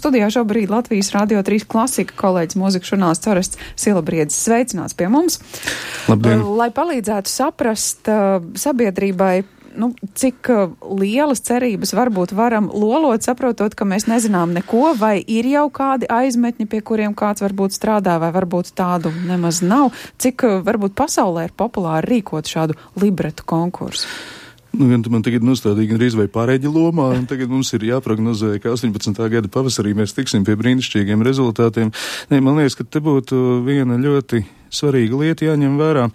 Studijā šobrīd Latvijas Radio 3 klasika kolēģis mūzikas žurnālists Orests Silabriedzis sveicināts pie mums. Labdien! Lai palīdzētu saprast sabiedrībai, cik lielas cerības varbūt varam lolot, saprotot, ka mēs nezinām neko, vai ir jau kādi aizmetņi, pie kuriem kāds varbūt strādā, vai varbūt tādu nemaz nav. Cik varbūt pasaulē ir populāri rīkot šādu libretu konkursu? Gan tu man tagad nostādīji gandrīz vai pārēģi lomā, un tagad mums ir jāprognozē, ka 18. gada pavasarī mēs tiksim pie brīnišķīgiem rezultātiem. Man liekas, ka te būtu viena ļoti svarīga lieta jāņem vērā.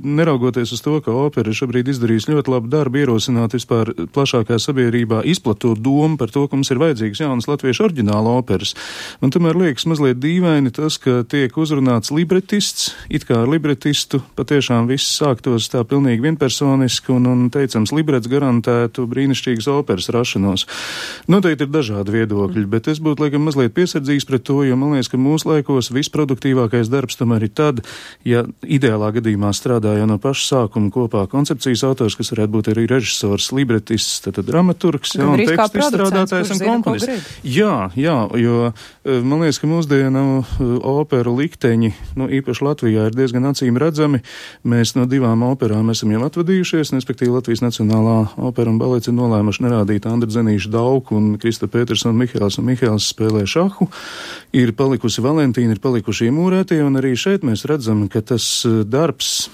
Neraugoties uz to, ka opera šobrīd izdarīs ļoti labu darbu, ierosināt vispār plašākā sabiedrībā izplatot domu par to, ka mums ir vajadzīgs jaunas latviešu oriģināla operas. Man tomēr liekas mazliet dīvaini tas, ka tiek uzrunāts libretists, it kā ar libretistu patiešām viss sāktos tā pilnīgi vienpersoniski un teicams, librets garantētu brīnišķīgas operas rašanos. Noteikti ir dažādi viedokļi, bet es būtu laikam mazliet piesardzīgs pret to, jo man liekas, ka mūsu laikos visproduktīvākais darbs tomēr ir tad, ja ideālā gadījumā strādā jau no paša sākuma kopā koncepcijas autors, kas varētu būt arī režisors, libretists, tad dramaturgs, un tekstu izstrādātājs un komponists. Jā, jo man liekas, ka mūsdienu operu likteņi, īpaši Latvijā, ir diezgan acīm redzami. Mēs no 2 operām esam jau atvadījušies, respektīvi Latvijas Nacionālā opera un balets ir nolēmuši nerādīt Andra Zenīša Dauku un Krista Petersona Mihēls spēlē šahu. Ir palikusi Valentīna, ir palikuši iemūrētie, un arī šeit mēs redzam, ka tas darbs,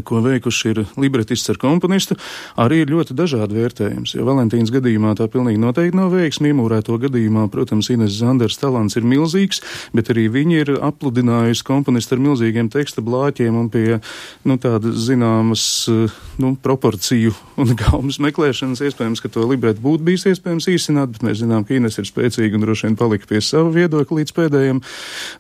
ko veikuši ir libretists ar komponistu, arī ir ļoti dažādi vērtējums. Jo Valentīnas gadījumā tā pilnīgi noteikti nav veiksmi, iemūrēto gadījumā, protams, Ines Zanders talants ir milzīgs, bet arī viņi ir apludinājusi komponistu ar milzīgiem teksta blāķiem un pie, tādas zināmas, proporciju un gaumas meklēšanas. Iespējams, ka to libretu būtu bijis iespējams īsināt, bet mēs zinām, ka Ines ir spēcīga un droši vien palika pie sava viedokļa līdz pēdējiem.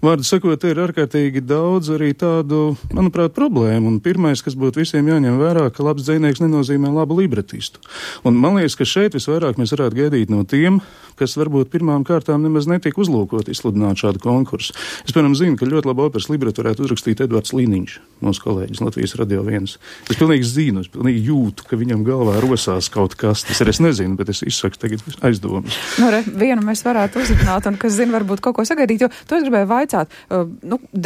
Vārdu sakot, te ir ārkārtīgi daudz arī tādu, manuprāt, problēmu. Un pirmais, kas būtu visiem jāņem vērā, ka labs dzejnieks nenozīmē labu libretistu. Un man liekas, ka šeit visvairāk mēs varētu gaidīt no tiem, kas varbūt pirmām kārtām nemaz netiek uzlūkot izsludināt šādu konkursu. Es, piemēram, zinu, ka ļoti labu operas libretu varētu uzrakstīt Edvards Līniņš, mūsu kolēģis Latvijas Radio 1. Es pilnīgi zinu, es pilnīgi jūtu, ka viņam galvā rosās kaut kas. Tas arī es nezinu, bet es izsaku tagad aizdomas. Vienu mēs varētu uzrunāt, un kas zina, varbūt kaut ko sagaidīt, jo to es gribēju vaicāt.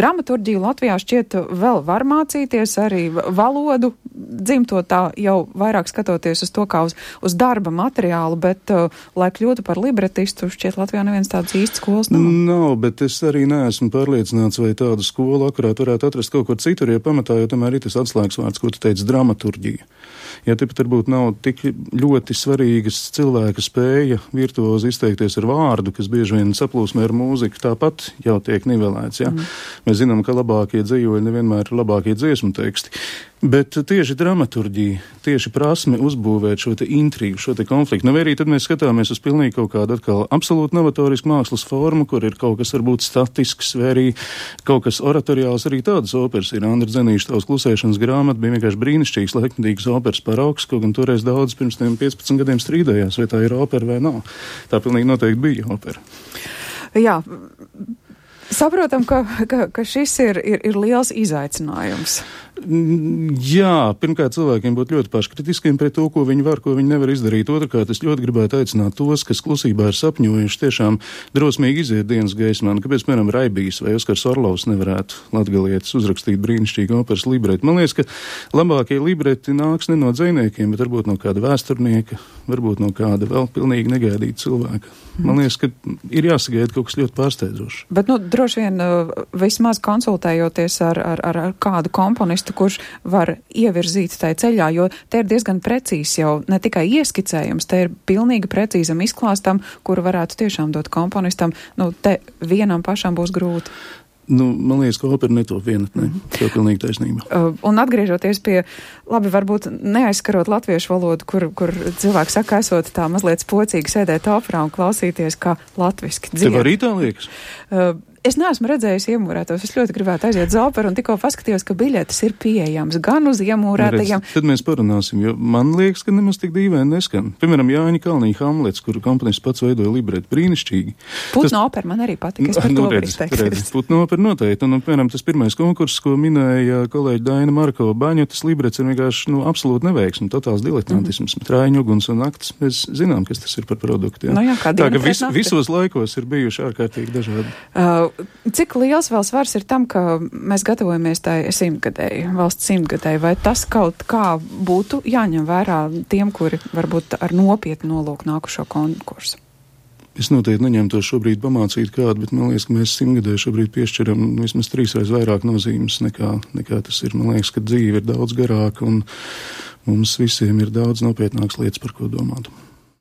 Dramaturģiju Latvijā šķiet vēl var mācīties, arī valodu dzimto tā jau vairāk skatoties uz to kā uz darba materiālu, bet, lai kļūtu par libretistu, šķiet Latvijā neviens tāds īsts skolas nav. Nav, bet es arī neesmu pārliecināts, vai tādu skolu akurāt varētu atrast kaut kur citur, jo pamatā jau tomēr ir tas atslēgas vārds, ko tu teici, dramaturģija. Ja tepat varbūt nav tik ļoti svarīgas cilvēka spēja virtuozi izteikties ar vārdu, kas bieži vien saplūsmē ar mūziku, tāpat jau tiek nivelēts, ja? Mēs zinām, ka labākie dzejoļi nevienmēr ir labākie dziesmu teksti. Bet tieši dramaturģija, tieši prasme uzbūvēt šo te intrigu, šo te konfliktu. Vai arī tad mēs skatāmies uz pilnīgi kaut kādu atkal absolūti novatorisku mākslas formu, kur ir kaut kas varbūt statisks, vai arī kaut kas oratoriāls, arī tādas operas ir. Andra Zenīša Tavs klusēšanas grāmata bija vienkārši brīnišķīgs, laikmetīgas operas paraugs, kaut gan toreiz daudz pirms 15 gadiem strīdējās, vai tā ir opera vai nav. Tā pilnīgi noteikti bija opera. Jā. Saprotam, ka šis ir liels izaicinājums. Jā, pirmkārt cilvēkiem būtu ļoti paškritiskiem pret to, ko viņi var, ko viņi nevar izdarīt. Otrkārt, es ļoti gribētu aicināt tos, kas klusībā ir sapņojuši, tiešām drosmīgi iziet dienas gaismā. Kāpēc, piemēram, Raibijs vai Oskars Orlovs nevarētu latgalietis uzrakstīt brīnišķīgu operas libretu? Man liekas, ka labākie libreti nāks ne no dzejniekiem, bet varbūt no kāda vēsturnieka, varbūt no kāda vēl pilnīgi negaidīta cilvēka. Man liekas, ka ir jāsagaida kaut kas ļoti pārsteidzošs. Bet, droši vien vismaz konsultējoties ar kādu komponistu, kurš var ievirzīt tai ceļā, jo te ir diezgan precīzi jau ne tikai ieskicējums, te ir pilnīgi precīzam izklāstam, kuru varētu tiešām dot komponistam. Te vienam pašam būs grūti. Man liekas, ka opera netop vienatnē. Tā pilnīgi taisnība. Un atgriežoties pie, labi, varbūt neaizskarot latviešu valodu, kur cilvēki saka, esot tā mazliet spocīgi sēdēt operā un klausīties, kā latviski dzied. Tev arī tā liekas? Es neesmu redzējusi iemūrētos. Es ļoti gribētu aiziet uz operu un tikko paskatījos, ka biļetes ir pieejams gan uz iemūrētajiem. Tad mēs parunāsim, jo man liekas, ka nemaz tik dīvaini neskan. Piemēram, Jāņa Kalniņa Hamlets, kuru komponists pats veidoja libretu, brīnišķīgi. Putna opera man arī patika. Es par to varu izteikties. Putna opera noteikti. Un, piemēram, tas pirmais konkurss, ko minēja kolēģi Daina Marko Baņu, tas librets ir vienkārši, absolūti neveiksmi, totāls diletantisms, trājiņu uguns un naktis. Mēs zinām, kas tas ir par produktu. Jā. Jā, tā ka visos laikos ir bijuši ārkārtīgi dažādi. Cik liels vēl svars ir tam, ka mēs gatavojamies tai valsts simtgadēji, vai tas kaut kā būtu jāņem vērā tiem, kuri varbūt ar nopietnu nolūku nākušo konkursu? Es noteikti neņemtu to šobrīd pamācīt kādu, bet man liekas, ka mēs simtgadēju šobrīd piešķiram vismaz 3 reizes vairāk nozīmes nekā tas ir. Man liekas, ka dzīve ir daudz garāka un mums visiem ir daudz nopietnākas lietas, par ko domāt.